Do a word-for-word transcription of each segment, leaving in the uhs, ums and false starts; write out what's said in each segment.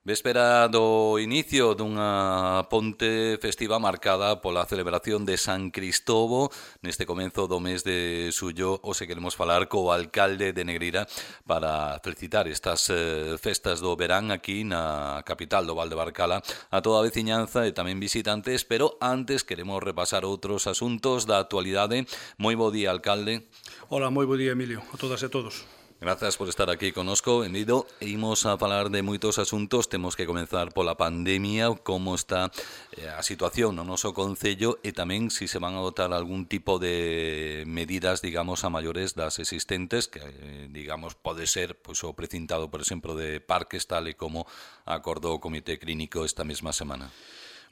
Véspera do inicio dunha ponte festiva marcada pola celebración de San Cristovo neste comenzo do mes de xullo. Hoxe queremos falar co alcalde de Negreira para felicitar estas eh, festas do verán aquí na capital do Val de Barcala a toda a veciñanza e tamén visitantes, pero antes queremos repasar outros asuntos da actualidade. Moi bo día, alcalde. Hola, moi bo día, Emilio, a todas e a todos. Grazas por estar aquí conosco, Benvido. Imos a falar de moitos asuntos. Temos que comenzar pola pandemia, como está eh, a situación no noso concello e tamén se se van a adoptar algún tipo de medidas, digamos, a maiores das existentes, que, eh, digamos, pode ser pois, o precintado, por exemplo, de parques, tal e como acordou o Comité Clínico esta mesma semana.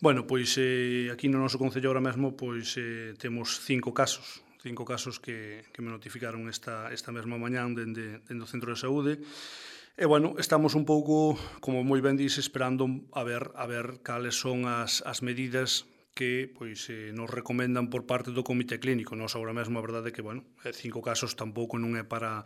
Bueno, pois eh, aquí no noso concello ahora mesmo pois eh, temos cinco casos. cinco casos que, que me notificaron esta, esta mesma mañán dende, dende o Centro de Saúde. E, bueno, estamos un pouco, como moi ben dís, esperando a ver, a ver cales son as, as medidas que pois, eh, nos recomendan por parte do Comité Clínico. Nos agora mesmo a verdade é que, bueno, cinco casos tampouco non é para...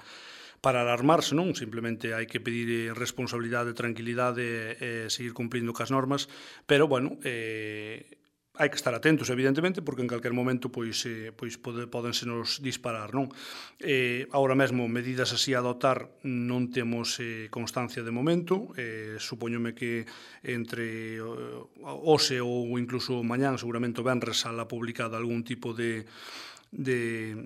para alarmarse, non? Simplemente hai que pedir responsabilidade, tranquilidade e seguir cumprindo cas normas, pero, bueno, eh, hai que estar atentos, evidentemente, porque en calquer momento pois, eh, pois pode, podense nos disparar, non? Eh, agora mesmo, medidas así a adoptar non temos eh, constancia de momento, eh, supoñome que entre eh, hoxe ou incluso mañán, seguramente o venres, sala publicada algún tipo de, de,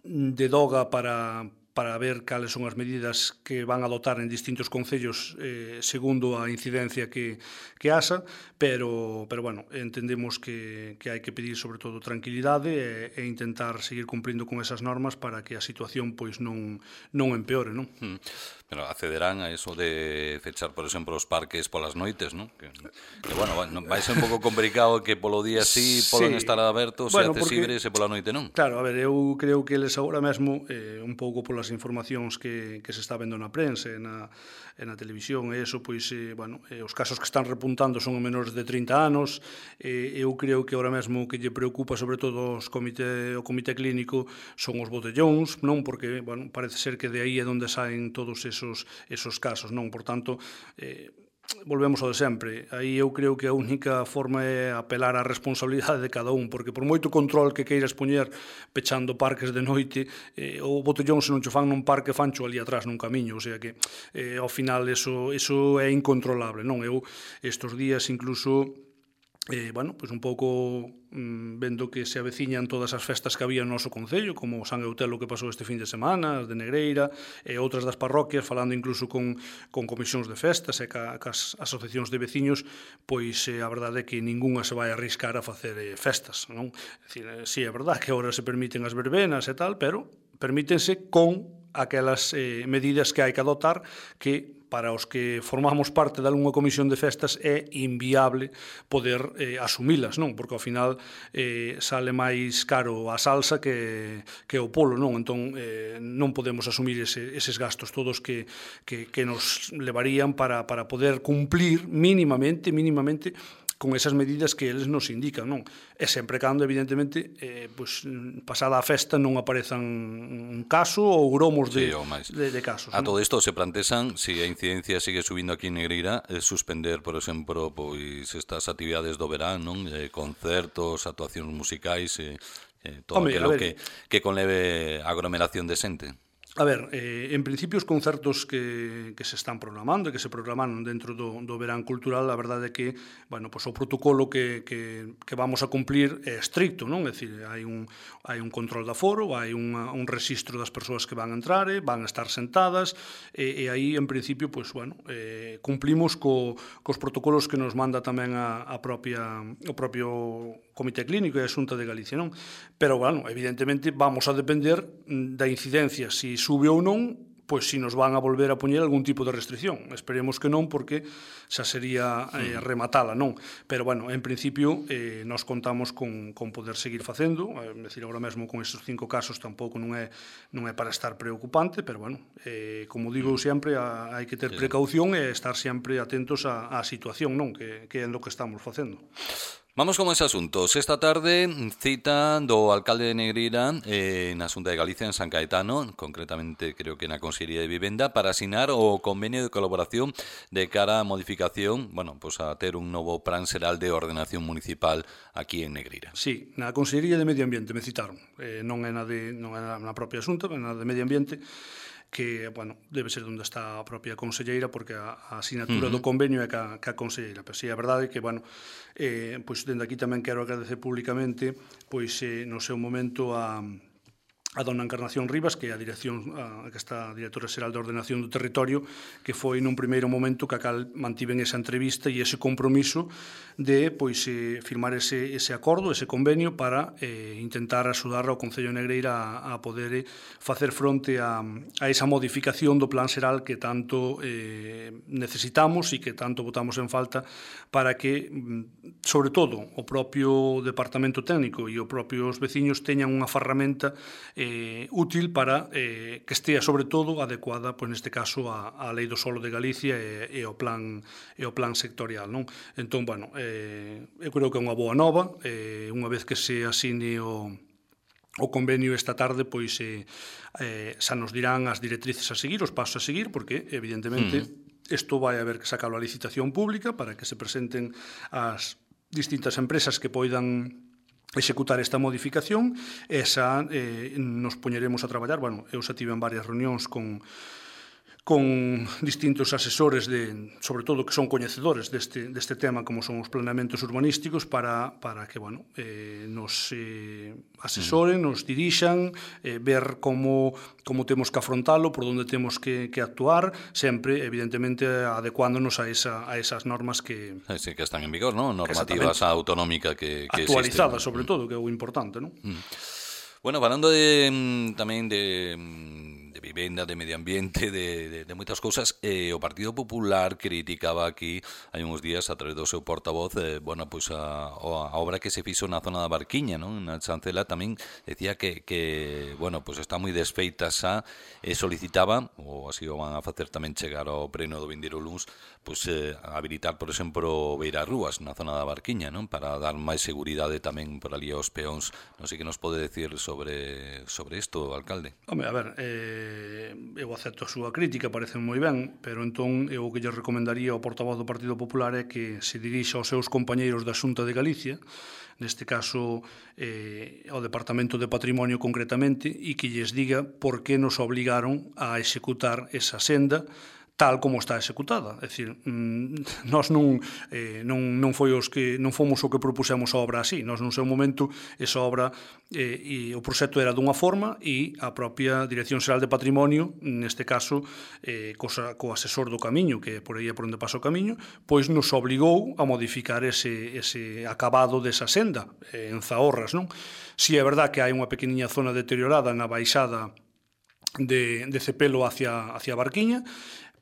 de doga para... para ver cales son as medidas que van a adoptar en distintos concellos eh, segundo a incidencia que, que asa, pero, pero bueno, entendemos que, que hai que pedir sobre todo tranquilidade e, e intentar seguir cumplindo con esas normas para que a situación pois non, non empeore, non? Mm. Pero accederán a eso de fechar, por exemplo, os parques polas noites, non? Que, que bueno, vai ser un pouco complicado que polo día sí poden sí. estar abertos bueno, e accesibles e pola noite non? Claro, a ver, eu creo que eles agora mesmo, eh, un pouco polas informacións que, que se está vendo na prensa e na, e na televisión e eso, pois, eh, bueno, eh, os casos que están repuntando son menores de trinta anos, eh, eu creo que agora mesmo o que lle preocupa sobre todo os comité, o Comité Clínico son os botellóns, non? Porque, bueno, parece ser que de aí é onde saen todos esos, esos casos, non? Por tanto, eh, volvemos ao de sempre. Aí eu creo que a única forma é apelar á responsabilidade de cada un, porque por moito control que queiras poñer pechando parques de noite, eh, o botellón se non cho fan nun parque, fancho ali atrás nun camiño, o sea que eh, ao final eso, eso é incontrolable, non? Eu estes días incluso Eh, bueno, pois un pouco mm, vendo que se aveciñan todas as festas que había no noso concello, como San Eutelo que pasou este fin de semana, as de Negreira, e outras das parroquias, falando incluso con, con comisións de festas e ca, cas asociacións de veciños, pois eh, a verdade é que ningunha se vai arriscar a facer eh, festas, non? É dicir, eh, sí, é verdade que agora se permiten as verbenas e tal, pero permítense con aquelas eh, medidas que hai que adoptar que para os que formamos parte de algunha comisión de festas é inviable poder eh, asumilas, non? Porque ao final eh, sale máis caro a salsa que, que o polo, non? Entón eh, non podemos asumir ese, eses gastos todos que, que, que nos levarían para, para poder cumplir mínimamente, mínimamente con esas medidas que eles nos indican, non? E sempre cando, evidentemente, eh, pues, pasada a festa non aparezan un caso ou gromos de, sí, de, de casos. A non? Todo isto se plantean, se a incidencia sigue subindo aquí en Negreira, eh, suspender, por exemplo, pois estas actividades do verán, non? Eh, concertos, actuacións musicais, eh, eh, todo Home, aquilo que, que conleve aglomeración de xente. A ver, eh, en principio os concertos que, que se están programando e que se programaron dentro do, do verán cultural, a verdade é que, bueno, pues o protocolo que, que, que vamos a cumplir é estricto, non? É dicir, hai un, hai un control de aforo, hai unha, un registro das persoas que van a entrar, van a estar sentadas, e, e aí, en principio, pues, bueno, eh, cumplimos co, cos protocolos que nos manda tamén a, a propia, o propio Comité Clínico e a Xunta de Galicia, non? Pero, bueno, evidentemente, vamos a depender da incidencia, si sube ou non, pois si nos van a volver a poñer algún tipo de restricción. Esperemos que non, porque xa sería eh, rematala, non? Pero, bueno, en principio, eh, nos contamos con, con poder seguir facendo. É dicir, agora mesmo con estes cinco casos tampouco non é, non é para estar preocupante, pero, bueno, eh, como digo sempre, a, hai que ter precaución e estar sempre atentos á, á situación, non? Que, que é lo que estamos facendo. Vamos con ese asuntos. Esta tarde cita do alcalde de Negreira eh, na Xunta de Galicia en San Caetano, concretamente creo que na Consellería de Vivenda, para asinar o convenio de colaboración de cara a modificación, bueno, pues a ter un novo plan xeral de ordenación municipal aquí en Negreira. Sí, na Consellería de Medio Ambiente me citaron, eh, non é na, de, non é na propia Xunta, é na de Medio Ambiente, que, bueno, debe ser onde está a propia conselleira, porque a, a asignatura uh-huh. do convenio é ca, ca conselleira. Pero sí, a verdade é que, bueno, eh, pois dende aquí tamén quero agradecer públicamente, pois eh, no seu momento a a dona Encarnación Rivas, que é a dirección, a, que está a directora xeral de ordenación do territorio, que foi nun primeiro momento que a cal mantiven esa entrevista e ese compromiso de pois eh, firmar ese, ese acordo, ese convenio para eh, intentar axudar ao Concello de Negreira a, a poder eh, facer fronte a, a esa modificación do plan xeral que tanto eh, necesitamos e que tanto botamos en falta para que, sobre todo, o propio Departamento Técnico e os propios veciños teñan unha ferramenta eh, Eh, útil para eh, que estea, sobre todo, adecuada, pois neste caso, a, a Lei do Solo de Galicia e, e, o, plan, e o plan sectorial, non? Entón, bueno, eh, eu creo que é unha boa nova, eh, unha vez que se asine o, o convenio esta tarde, pois eh, eh, xa nos dirán as directrices a seguir, os pasos a seguir, porque, evidentemente, mm. isto vai haber que sacarlo a licitación pública para que se presenten as distintas empresas que poidan executar esta modificación e xa eh, nos poñeremos a traballar. Bueno, eu xa tive en varias reunións con con distintos asesores, de, sobre todo que son coñecedores deste, deste tema, como son os planeamentos urbanísticos, para, para que bueno, eh, nos eh, asesoren, nos dirixan, eh, ver como, como temos que afrontalo, por onde temos que, que actuar, sempre, evidentemente, adecuándonos a, esa, a esas normas que... Sí, que están en vigor, ¿no? Normativas autonómicas que, que actualizadas, existen. sobre todo, que é o importante, ¿no? Mm. Bueno, falando de, tamén de... de vivenda, de medio ambiente, de, de, de moitas cousas, eh, o Partido Popular criticaba aquí hai uns días a través do seu portavoz eh, bueno, pois a, a obra que se fixo na zona da Barquiña, non? Na Chancela tamén decía que, que bueno, pois está moi desfeita xa e solicitaba, ou así o van a facer tamén chegar ao pleno do vindeiro luns, pois eh, habilitar, por exemplo, beirarrúas na zona da Barquiña, non? Para dar máis seguridade tamén por ali aos peóns. Non sei que nos pode decir sobre sobre isto, alcalde. Home, a ver, eh eu acepto a súa crítica, parece moi ben, pero entón eu o que lle recomendaría ao portavoz do Partido Popular é que se dirixa aos seus compañeiros da Xunta de Galicia, neste caso eh, ao Departamento de Patrimonio concretamente, e que lles diga por que nos obligaron a executar esa senda tal como está executada. É dicir, nós non, eh, non, non foi os que non fomos o que propusemos a obra así. Nós, nun seu momento, esa obra eh, e o proxecto era dunha forma e a propia Dirección Xeral de Patrimonio, neste caso, eh, cosa, co asesor do camiño, que por aí é por onde pasa o camiño, pois nos obligou a modificar ese, ese acabado desa senda, eh, en Zahorras, non? Si é verdad que hai unha pequeniña zona deteriorada na baixada de, de Cepelo hacia, hacia Barquiña,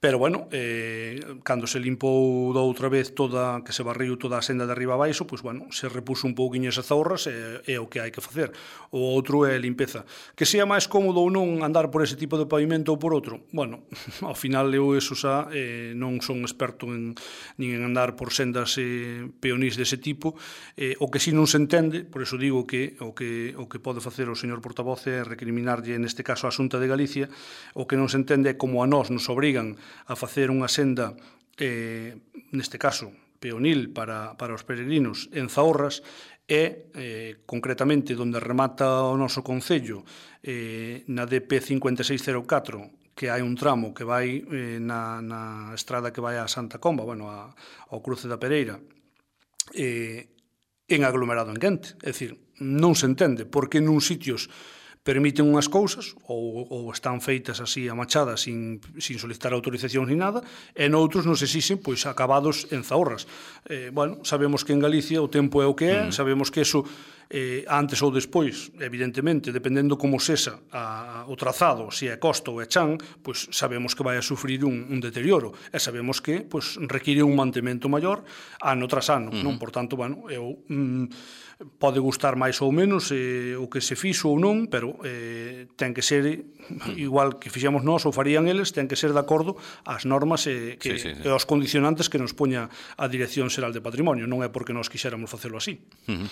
pero, bueno, eh, cando se limpou da outra vez toda, que se barriu toda a senda de arriba a baixo, pois, bueno, se repuso un pouquiño esas Zahorras e é o que hai que facer. O outro é limpeza. Que sea máis cómodo ou non andar por ese tipo de pavimento ou por outro? Bueno, ao final eu eso xa eh, non son experto en, nin en andar por sendas eh, peonís dese tipo. Eh, o que si non se entende, por eso digo que o que, o que pode facer o señor portavoz é recriminarlle, neste caso, a Xunta de Galicia, o que non se entende é como a nós nos obrigan a facer unha senda, eh, neste caso, peonil para, para os peregrinos en Zahorras e, eh, concretamente, onde remata o noso concello, eh, na D P cincuenta e seis cero catro, que hai un tramo que vai eh, na, na estrada que vai a Santa Comba, bueno, a, ao cruce da Pereira, eh, en aglomerado en quente. É dicir, non se entende por que nun sitios permiten unhas cousas ou, ou están feitas así a machada sin, sin solicitar autorización ni nada, e noutros nos exixen pois acabados en Zahorras. Eh, bueno, sabemos que en Galicia o tempo é o que é, mm. sabemos que eso eh, antes ou despois, evidentemente, dependendo como sexa a, o trazado, se é costa ou é chan, pois sabemos que vai a sufrir un, un deterioro, e sabemos que pois require un mantemento maior ano tras ano, mm. non? Por tanto, bueno, eu... Mm, pode gustar máis ou menos eh, o que se fixo ou non, pero claro, eh, ten que ser igual que fixemos nós ou farían eles, ten que ser de acordo ás normas e, que, sí, sí, sí. e aos condicionantes que nos poña a Dirección Xeral de Patrimonio, non é porque nós quixéramos facelo así. Uh-huh.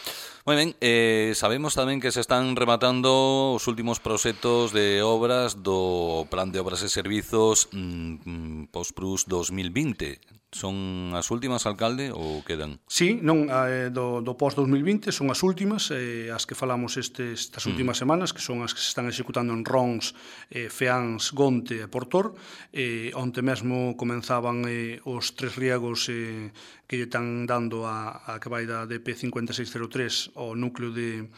Moi ben, eh, sabemos tamén que se están rematando os últimos proxectos de obras do Plan de Obras e Servizos mm, Postprus dos mil vinte. Son as últimas, alcalde, ou quedan? Sí, non, eh, do, do post dos mil vinte son as últimas, eh, as que falamos estes, estas últimas mm. semanas, que son as que se están executando en Rons, eh, Feáns, Gonte e Portor. Eh, onte mesmo comenzaban eh, os tres riegos eh, que lle están dando a, a que vai da D P cinco seis cero tres ao núcleo de,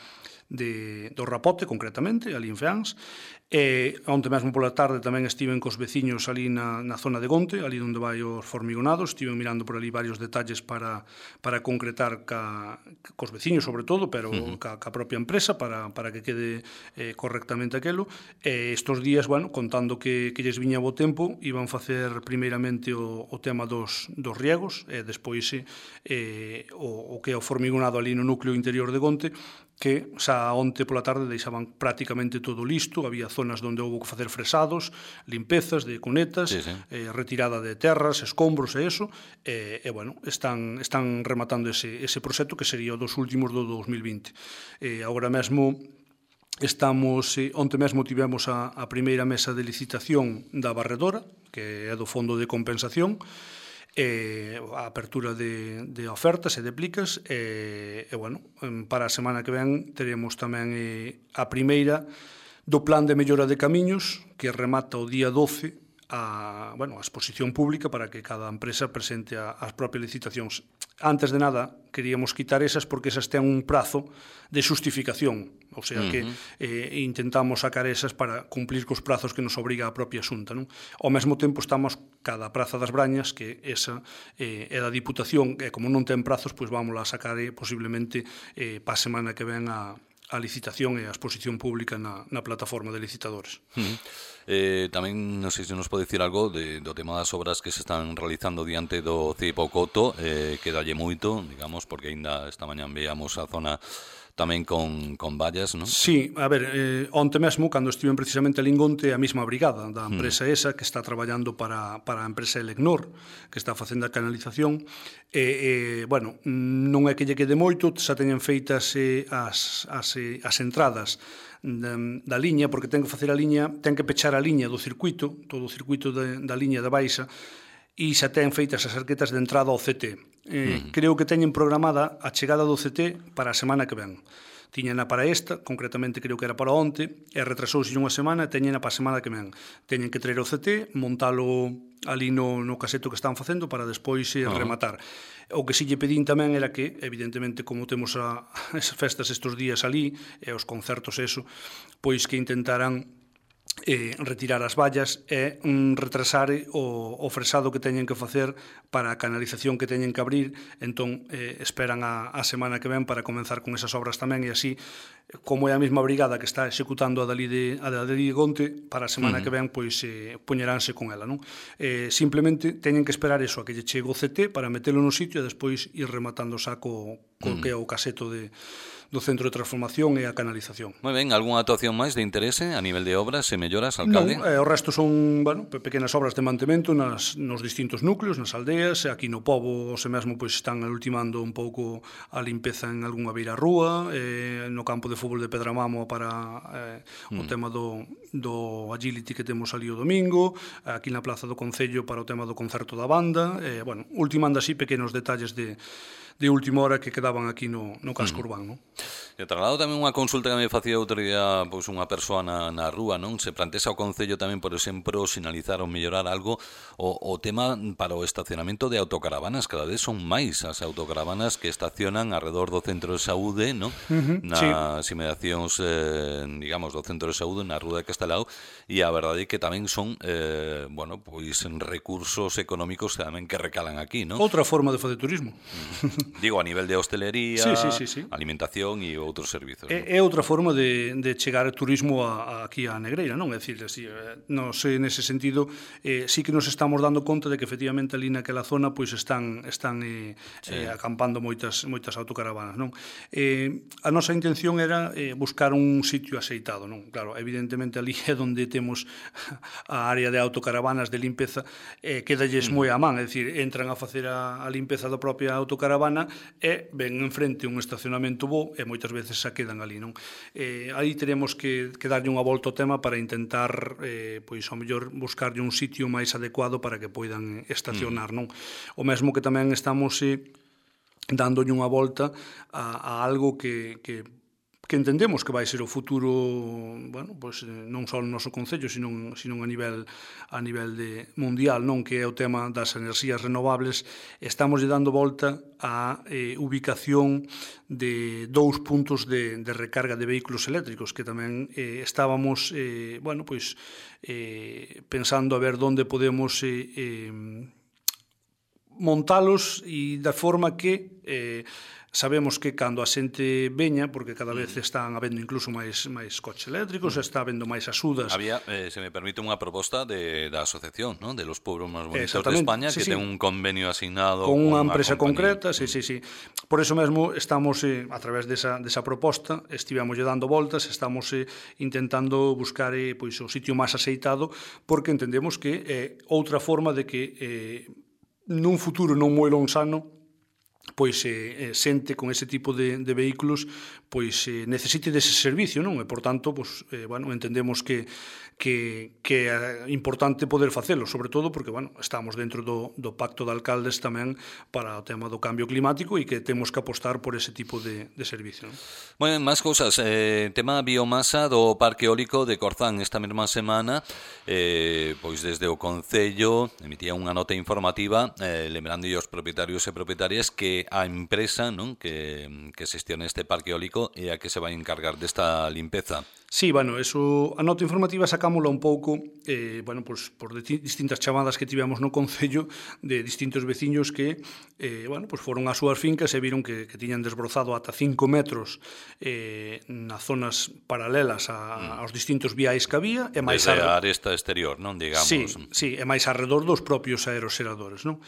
de, do Rapote, concretamente, ali en Feáns. E onte mesmo pola tarde tamén estiven cos veciños ali na, na zona de Gonte, ali onde vai os formigonados, estiven mirando por ali varios detalles para, para concretar ca, cos veciños sobre todo, pero uh-huh. ca, ca propia empresa para, para que quede eh, correctamente aquelo. E estos días, bueno, contando que, que lles viña bo tempo, iban facer primeiramente o, o tema dos, dos riegos e despois eh, o, o que é o formigonado ali no núcleo interior de Gonte, que xa onte pola tarde deixaban prácticamente todo listo, había zonas onde houve que facer fresados, limpezas de cunetas, sí, sí. Eh, retirada de terras, escombros e eso, e, e bueno, están, están rematando ese, ese proxecto que sería o dos últimos do dos mil vinte. E agora mesmo estamos, eh, onte mesmo tivemos a, a primeira mesa de licitación da barredora, que é do Fondo de Compensación, eh, a apertura de, de ofertas e de plicas e, e bueno, para a semana que ven teremos tamén eh, a primeira do plan de mellora de camiños que remata o día doce a, bueno, a exposición pública para que cada empresa presente a, as propias licitacións. Antes de nada, queríamos quitar esas porque esas ten un prazo de xustificación, ou sea que uh-huh. eh, intentamos sacar esas para cumplir cos prazos que nos obriga a propia Xunta, non? Ao mesmo tempo estamos cada Praza das Brañas, que esa eh, é da Diputación, e como non ten prazos, pois vamos a sacar eh, posiblemente eh, pa semana que ven a a licitación e a exposición pública na, na plataforma de licitadores. Uh-huh. Eh, tamén, non sei se nos pode dicir algo de, do tema das obras que se están realizando diante do C I P O Coto, eh, que dalle moito, digamos, porque ainda esta mañán veamos a zona tamén con, con vallas, non? Sí, a ver, eh, onte mesmo, cando estiven precisamente ali en Gonte, a mesma brigada da empresa mm. esa, que está traballando para, para a empresa Elecnor, que está facendo a canalización, e, eh, bueno, non é que lle quede moito, xa teñen feitas eh, as, as, eh, as entradas da, da liña, porque ten que facer a liña, ten que pechar a liña do circuito, todo o circuito de, da liña da Baixa, e xa ten feitas as arquetas de entrada ao C T. Eh, mm. Creo que teñen programada a chegada do C T para a semana que ven. Tiñena para esta, concretamente creo que era para onte, e retrasouse unha semana e teñena para a semana que ven. Teñen que traer o C T, montalo ali no, no caseto que están facendo para despois eh, uh-huh. rematar. O que si lle pedín tamén era que, evidentemente, como temos a, as festas estes días ali, e os concertos eso, pois que intentaran eh, retirar as vallas e mm, retrasar o, o fresado que teñen que facer para a canalización que teñen que abrir, entón eh, esperan a, a semana que ven para comenzar con esas obras tamén, e así, como é a mesma brigada que está executando a dali de, a dali de Gonte, para a semana uh-huh. que ven, pois eh, poñeránse con ela, non? Eh, simplemente teñen que esperar eso, a que lle chegue o C T para metelo no sitio e despois ir rematando xa co, co uh-huh. que é o caseto de do Centro de Transformación e a canalización. Moi ben, algunha actuación máis de interese a nivel de obras e melloras, alcalde? Non, eh, o resto son, bueno, pequenas obras de mantemento nas, nos distintos núcleos, nas aldeas, e aquí no pobo, se mesmo, pois están ultimando un pouco a limpeza en algunha beira rúa, eh, no campo de fútbol de Pedramamo para eh, o mm. tema do, do agility que temos ali o domingo, aquí na Plaza do Concello para o tema do concerto da banda, eh, bueno, ultimando así pequenos detalles de de última hora que quedaban aquí no, no casco mm. urbano. E trasladado tamén unha consulta que me facía outro día pois, unha persoa na, na rúa, non? Se plantexa o Concello tamén, por exemplo, sinalizar ou mellorar algo o, o tema para o estacionamento de autocaravanas. Cada vez son máis as autocaravanas que estacionan alrededor do centro de saúde, non? Uh-huh, nas sí. inmediacións, eh, digamos, do centro de saúde, na rúa que está instalado, e a verdade é que tamén son eh, bueno, pois recursos económicos tamén que recalan aquí, non? Outra forma de facer turismo. Digo, a nivel de hostelería, sí, sí, sí, sí. alimentación e outros servizos. É, é outra forma de, de chegar turismo a, a, aquí a Negreira, non? É dicir, así, non sei, nese sentido, eh, sí que nos estamos dando conta de que efectivamente ali naquela zona pois están están eh, sí. eh, acampando moitas moitas autocaravanas, non? Eh, a nosa intención era eh, buscar un sitio aceitado, non? Claro, evidentemente ali é onde temos a área de autocaravanas de limpeza, eh, quedalles moi a man, é dicir, entran a facer a, a limpeza da propia autocaravana e ven enfrente un estacionamento bo e moitas veces se quedan ali, non? Eh, aí teremos que, que darlle unha volta ao tema para intentar, eh, pois, ao mellor, buscarlle un sitio máis adecuado para que poidan estacionar, non? O mesmo que tamén estamos eh, dándolle unha volta a, a algo que, que que entendemos que vai ser o futuro, bueno, pois non só no noso concello, sino, sino a nivel a nivel de mundial, non, que é o tema das enerxías renovables. Estamos lle dando volta á eh, ubicación de dous puntos de, de recarga de vehículos eléctricos, que tamén eh, estábamos eh, bueno, pois eh, pensando a ver onde podemos eh, eh, montalos e da forma que eh, sabemos que cando a xente veña, porque cada vez están habendo incluso máis máis coches eléctricos, está habendo máis axudas. Había, eh, se me permite, unha proposta de, da asociación, ¿no?, de los pueblos máis bonitos de España, sí, que sí. ten un convenio asignado con unha empresa concreta, sí, sí, sí. Por eso mesmo estamos, eh, a través desa, desa proposta, estivemos dando voltas, estamos eh, intentando buscar eh, pois, o sitio máis aceitado, porque entendemos que é eh, outra forma de que eh, nun futuro non moi lonsano pois eh, xente con ese tipo de, de vehículos pois eh, necesite dese servicio, non? E, por tanto, pois, eh, bueno, entendemos que, que, que é importante poder facelo, sobre todo porque, bueno, estamos dentro do, do pacto de alcaldes tamén para o tema do cambio climático e que temos que apostar por ese tipo de, de servicio, non? Bueno, máis cousas. Eh, tema biomasa do Parque Eólico de Corzán esta mesma semana, eh, pois desde o Concello emitía unha nota informativa eh, lembrando aos propietarios e propietarias que a empresa, non, que, que xestiona este parque eólico é a que se vai encargar desta limpeza. Sí, bueno, eso, a nota informativa sacámola un pouco, eh, bueno, pues, por distintas chamadas que tivemos no Concello de distintos veciños que, eh, bueno, pues foron ás súas fincas e viron que, que tiñan desbrozado ata cinco metros eh, nas zonas paralelas a, aos distintos viais que había. E máis desde a aresta exterior, non, digamos. Sí, sí, e máis alrededor dos propios aeroseradores, non?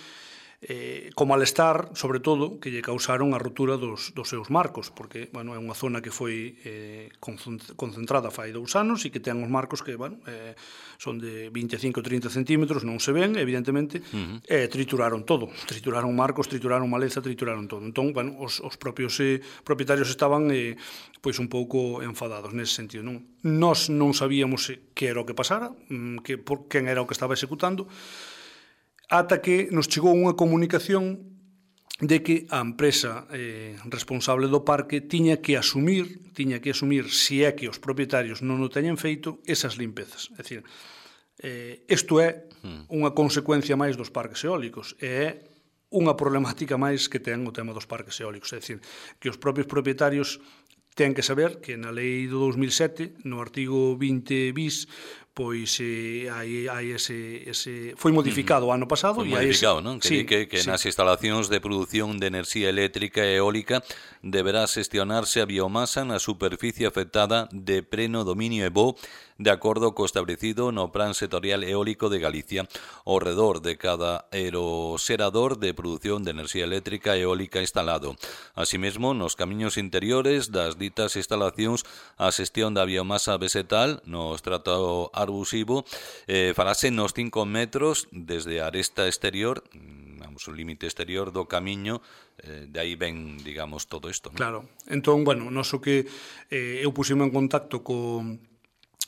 Eh, como malestar, sobre todo, que lle causaron a rotura dos, dos seus marcos, porque, bueno, é unha zona que foi eh, concentrada fai dous anos e que ten uns marcos que, bueno, eh, son de vinte e cinco a trinta centímetros, non se ven, evidentemente, uh-huh. e trituraron todo, trituraron marcos, trituraron maleza, trituraron todo. Entón, bueno, os, os propios eh, propietarios estaban eh, pois un pouco enfadados nese sentido, non? Nós non sabíamos que era o que pasara, que, por, quen era o que estaba executando, ata que nos chegou unha comunicación de que a empresa eh, responsable do parque tiña que asumir, tiña que asumir, se é que os propietarios non o teñen feito, esas limpezas. É dicir, eh, isto é unha consecuencia máis dos parques eólicos, e é unha problemática máis que ten o tema dos parques eólicos. É dicir, que os propios propietarios ten que saber que na lei do dos mil sete, no artigo vinte bis, pois eh, hai, hai ese, ese foi modificado o ano pasado. Foi modificado, non? Que, sí, que, que sí. Nas instalacións de produción de enerxía eléctrica e eólica deberá xestionarse a biomasa na superficie afectada de pleno dominio e bo de acordo co establecido no Plan Sectorial Eólico de Galicia ao redor de cada aeroserador de produción de enerxía eléctrica e eólica instalado. Asimismo, nos camiños interiores das ditas instalacións a xestión da biomasa vegetal no estrato arbusivo eh, farase nos cinco metros desde a aresta exterior, vamos, o límite exterior do camiño, eh, de aí ven, digamos, todo isto, ¿no? Claro. Entón, bueno, noso que eh, eu pusime en contacto co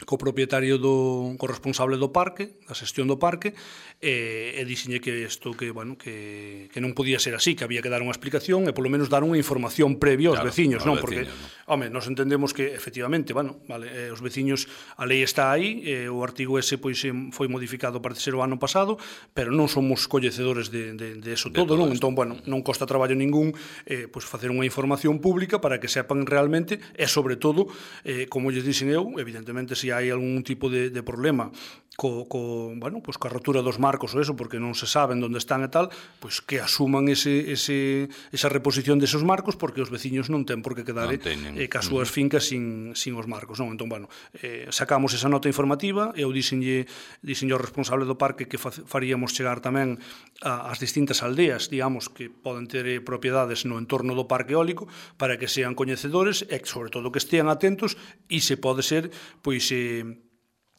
co propietario do co responsable do parque, da xestión do parque, e, e dixenlle que isto que, bueno, que, que non podía ser así, que había que dar unha explicación e polo menos dar unha información previa aos claro, veciños, non? Porque, Home, nos entendemos que, efectivamente, bueno, vale, eh, os veciños, a lei está aí, eh, o artigo ese pois foi modificado para ser o ano pasado, pero non somos coñecedores de, de, de eso de todo, todo non? esto. Entón, bueno, non costa traballo ningún eh, pois facer unha información pública para que sepan realmente, e sobre todo, eh, como lles dixen eu, evidentemente, se hai algún tipo de, de problema co, co, bueno, pois coa rotura dos marcos ou eso, porque non se saben onde están e tal, pois que asuman ese, ese, esa reposición deses marcos, porque os veciños non ten por que quedar eh, eh, cas súas fincas sin, sin os marcos, non? Entón, bueno, eh, sacamos esa nota informativa, eu dixenlle, dixenlle ao responsable do parque que faríamos chegar tamén a, as distintas aldeas, digamos, que poden ter eh, propiedades no entorno do parque eólico, para que sean coñecedores e, sobre todo, que estean atentos, e se pode ser, pois, eh,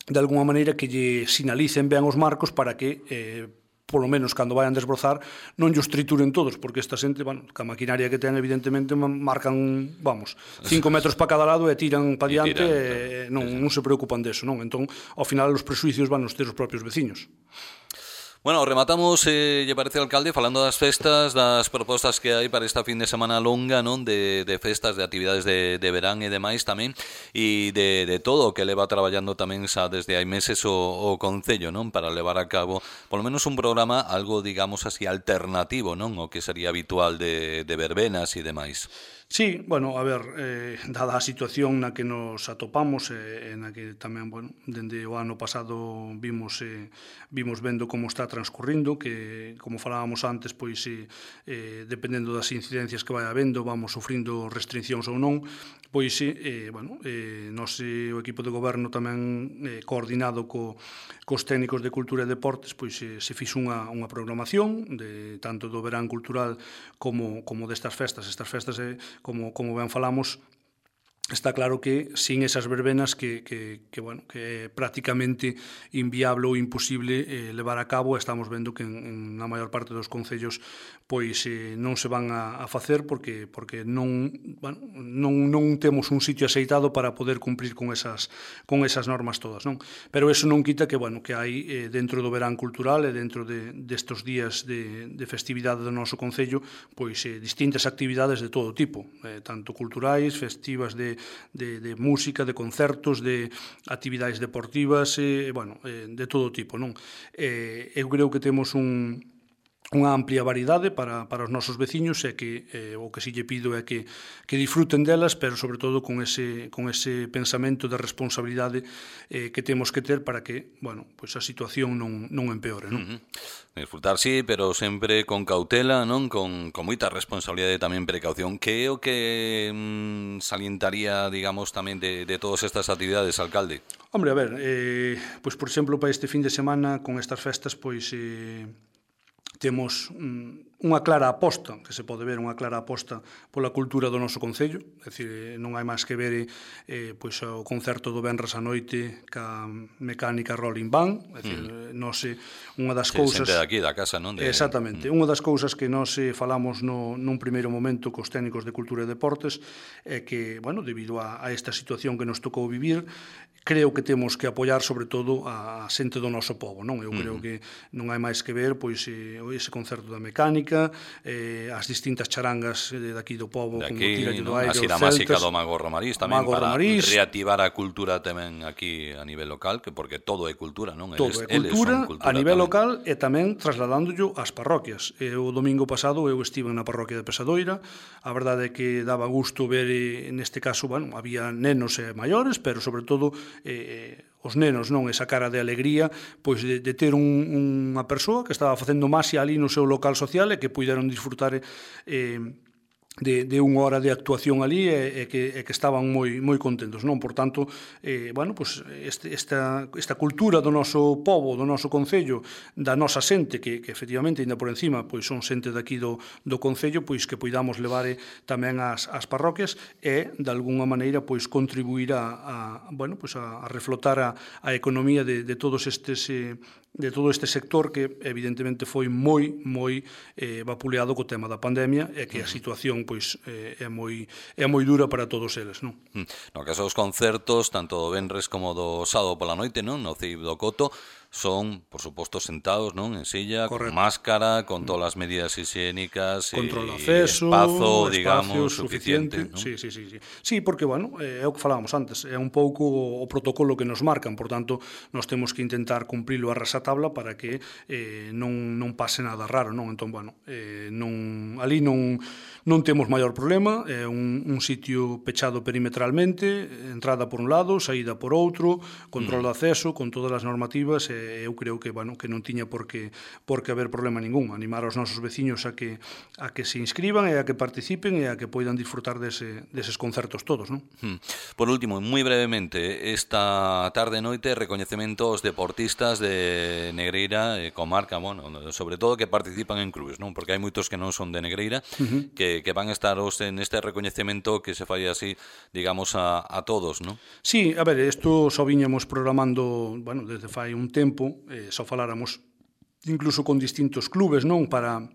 de alguna maneira que lle sinalicen ben os marcos para que eh, polo menos cando vayan desbrozar non llos trituren todos, porque esta xente, bueno, ca maquinaria que ten, evidentemente marcan, vamos, cinco metros para cada lado e tiran para diante e non, non se preocupan deso, non? Entón, ao final, os presuicios van nos ter os propios veciños. Bueno, rematamos, eh, lle parece, alcalde, falando das festas, das propostas que hai para esta fin de semana longa, non? De, de festas, de actividades de, de verán e demais tamén, e de, de todo o que leva traballando tamén xa desde hai meses o, o Concello, non? Para levar a cabo, polo menos, un programa algo, digamos así, alternativo, non? O que sería habitual de, de verbenas e demais. Sí, bueno, a ver, eh, dada a situación na que nos atopamos e eh, na que tamén, bueno, dende o ano pasado vimos eh, vimos vendo como está transcurrindo, que, como falábamos antes, pois, eh, eh, dependendo das incidencias que vai habendo, vamos sufrindo restriccións ou non, pois, eh, bueno, eh, nos, eh, o equipo de goberno tamén eh, coordinado co, cos técnicos de Cultura e Deportes, pois eh, se fixo unha, unha programación de tanto do verán cultural como, como destas festas. Estas festas eh, Como, como ben falamos, está claro que sin esas verbenas que, que, que, bueno, que é prácticamente inviable ou imposible eh, levar a cabo. Estamos vendo que en, en na maior parte dos concellos pois eh, non se van a, a facer porque porque non, bueno, non non temos un sitio aceitado para poder cumprir con esas con esas normas todas, non? Pero eso non quita que, bueno, que hai eh, dentro do verán cultural e dentro de destos días de, de festividade do noso concello, pois eh, distintas actividades de todo tipo, eh, tanto culturais, festivas de De, de música, de concertos, de actividades deportivas, eh, bueno, eh, de todo tipo, non? Eh, eu creo que temos un, unha amplia variedade para, para os nosos veciños e que eh, o que si lle pido é que, que disfruten delas, pero sobre todo con ese, con ese pensamento de responsabilidade eh, que temos que ter para que, bueno, pues a situación non, non empeore, non? Uh-huh. Disfrutar sí, pero sempre con cautela, non? Con, con moita responsabilidade e tamén precaución. Que é o que mm, salientaría, digamos, tamén de, de todas estas actividades, alcalde? Hombre, a ver, eh, pois, por exemplo, para este fin de semana, con estas festas, pois... Eh, temos mm, unha clara aposta, que se pode ver unha clara aposta pola cultura do noso concello, é dicir, non hai máis que ver eh, pois, o concerto do venres a noite ca mecánica Rolling Band, é dicir, mm. nós, unha das sí, cousas... xente daqui, da casa, non? De... Exactamente, mm. unha das cousas que nós falamos no, nun primeiro momento cos técnicos de Cultura e Deportes é que, bueno, debido a, a esta situación que nos tocou vivir, creo que temos que apoiar sobre todo a xente do noso povo, non? Eu creo mm. que non hai máis que ver pois ese concerto da mecánica, eh, as distintas charangas de daqui do povo, de aquí, como Tira do Aire, as celtas, máxica do Mago Romariz tamén Mago para Romariz, reactivar a cultura tamén aquí a nivel local, que porque todo é cultura, non? Todo eles, é cultura, cultura a nivel tamén. local e tamén trasladándollo ás parroquias. E o domingo pasado eu estive na parroquia de Pesadoira, a verdade é que daba gusto ver, neste caso, bueno, había nenos e maiores, pero sobre todo eh, os nenos, non, esa cara de alegría, pois de, de ter un, unha persoa que estaba facendo masia ali no seu local social e que puideron disfrutar eh, de, de unha hora de actuación ali e, e, que, e que estaban moi moi contentos, non? Por tanto, eh, bueno, pues este, esta, esta cultura do noso povo, do noso concello, da nosa xente, que, que efectivamente, ainda por encima, pois son xente daqui do, do concello, pois que poidamos levar tamén ás, ás parroquias e, de alguna maneira, pois contribuir a, a bueno, pois a, a reflotar a, a economía de, de todos estes... Eh, de todo este sector que evidentemente foi moi moi eh, vapuleado co tema da pandemia e que a situación pois eh, é moi é moi dura para todos eles, non? No caso dos concertos, tanto do venres como do sábado pola noite, non? No C I B do Coto, son, por suposto, sentados, non, en silla, Correcto. con máscara, con todas as medidas higiénicas Control de e acceso, espazo, espacio digamos, suficiente, suficiente, non? sí, sí, sí, sí. Sí, porque, bueno, é o que falábamos antes, é un pouco o protocolo que nos marcan, por tanto, nós temos que intentar cumprilo a rasatabla para que eh, non, non pase nada raro, non? Entón, bueno, eh, non, ali non, non temos maior problema, é un, un sitio pechado perimetralmente, entrada por un lado, saída por outro, control de acceso, con todas as normativas, e eu creo que, bueno, que non tiña por que, por que haber problema ningún. Animar aos nosos veciños a que, a que se inscriban e a que participen e a que poidan disfrutar dese, deses concertos todos, non? Hmm. Por último, moi brevemente, esta tarde e noite recoñecemento aos deportistas de Negreira e comarca, bueno, sobre todo que participan en clubes, non? Porque hai moitos que non son de Negreira, uh-huh. que, que van a estar os en este recoñecemento que se fai así, digamos, a, a todos, non? Sí, a ver, isto só viñamos programando, bueno, desde fai un tempo, eh, só faláramos incluso con distintos clubes, non? Para,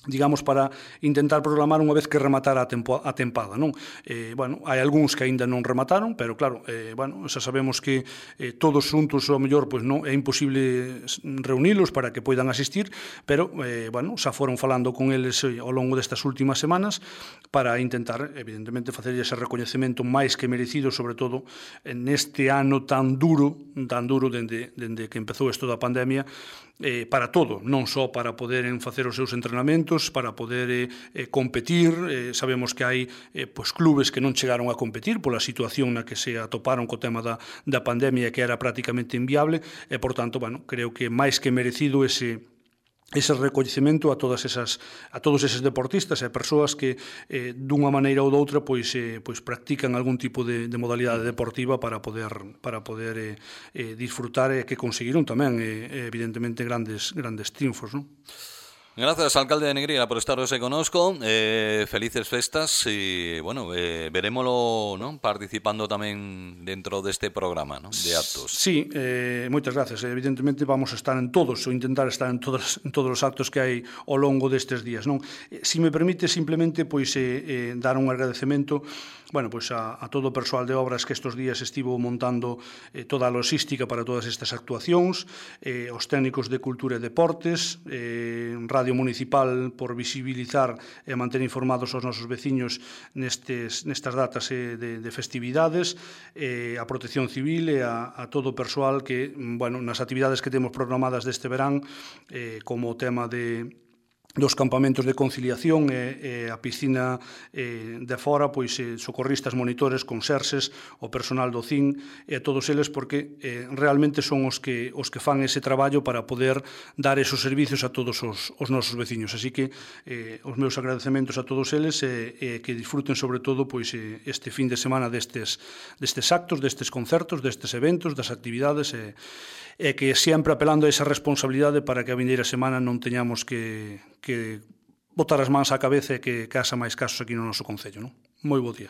digamos, para intentar programar unha vez que rematara a, tempo, a tempada, non? Eh, bueno, hai algúns que aínda non remataron, pero claro, eh, bueno, xa sabemos que eh, todos xuntos, ao mellor, pois non é imposible reunilos para que poidan asistir, pero, eh, bueno, xa foron falando con eles eh, ao longo destas últimas semanas para intentar, evidentemente, facer ese recoñecemento máis que merecido, sobre todo neste ano tan duro, tan duro dende, dende que empezou isto da pandemia, eh, para todo, non só para poderen facer os seus entrenamentos, para poder eh, eh, competir. Eh, sabemos que hai eh, pois, clubes que non chegaron a competir pola situación na que se atoparon co tema da, da pandemia, que era prácticamente inviable, e, por tanto, bueno, creo que máis que merecido ese ese recoñecemento a todas esas a todos eses deportistas e persoas que eh, dunha maneira ou doutra pois eh, pois practican algún tipo de, de modalidade deportiva para poder para poder eh, eh, disfrutar e que conseguiron tamén eh, evidentemente grandes grandes triunfos, non? Gracias, alcalde de Negreira, por estar hoxe conosco. Eh, felices festas e, bueno, eh, verémolo, ¿no?, participando tamén dentro deste programa, ¿no?, de actos. Sí, eh, moitas gracias. Evidentemente vamos a estar en todos, ou intentar estar en todos, en todos os actos que hai ao longo destes días, non? Eh, si me permite simplemente pois eh, eh, dar un agradecemento, bueno, pois a, a todo o persoal de obras que estes días estivo montando eh, toda a logística para todas estas actuacións, eh, os técnicos de Cultura e Deportes, eh, Radio Municipal por visibilizar e manter informados os nosos veciños nestes, nestas datas eh, de, de festividades, eh, a Protección Civil e a, a todo o persoal que, bueno, nas actividades que temos programadas deste verán, eh, como o tema de dos campamentos de conciliación e, e a piscina e, de fora, pois eh, socorristas, monitores, conserxes, o personal do C I N e a todos eles, porque eh, realmente son os que os que fan ese traballo para poder dar esos servicios a todos os, os nosos veciños. Así que eh, os meus agradecementos a todos eles e eh, eh, que disfruten sobre todo pois eh, este fin de semana destes, destes actos, destes concertos, destes eventos, das actividades e, e que sempre apelando a esa responsabilidade para que a vindeira semana non teñamos que que botar as mans á cabeza e que casa máis casos aquí no noso concello, non? Moi bo día.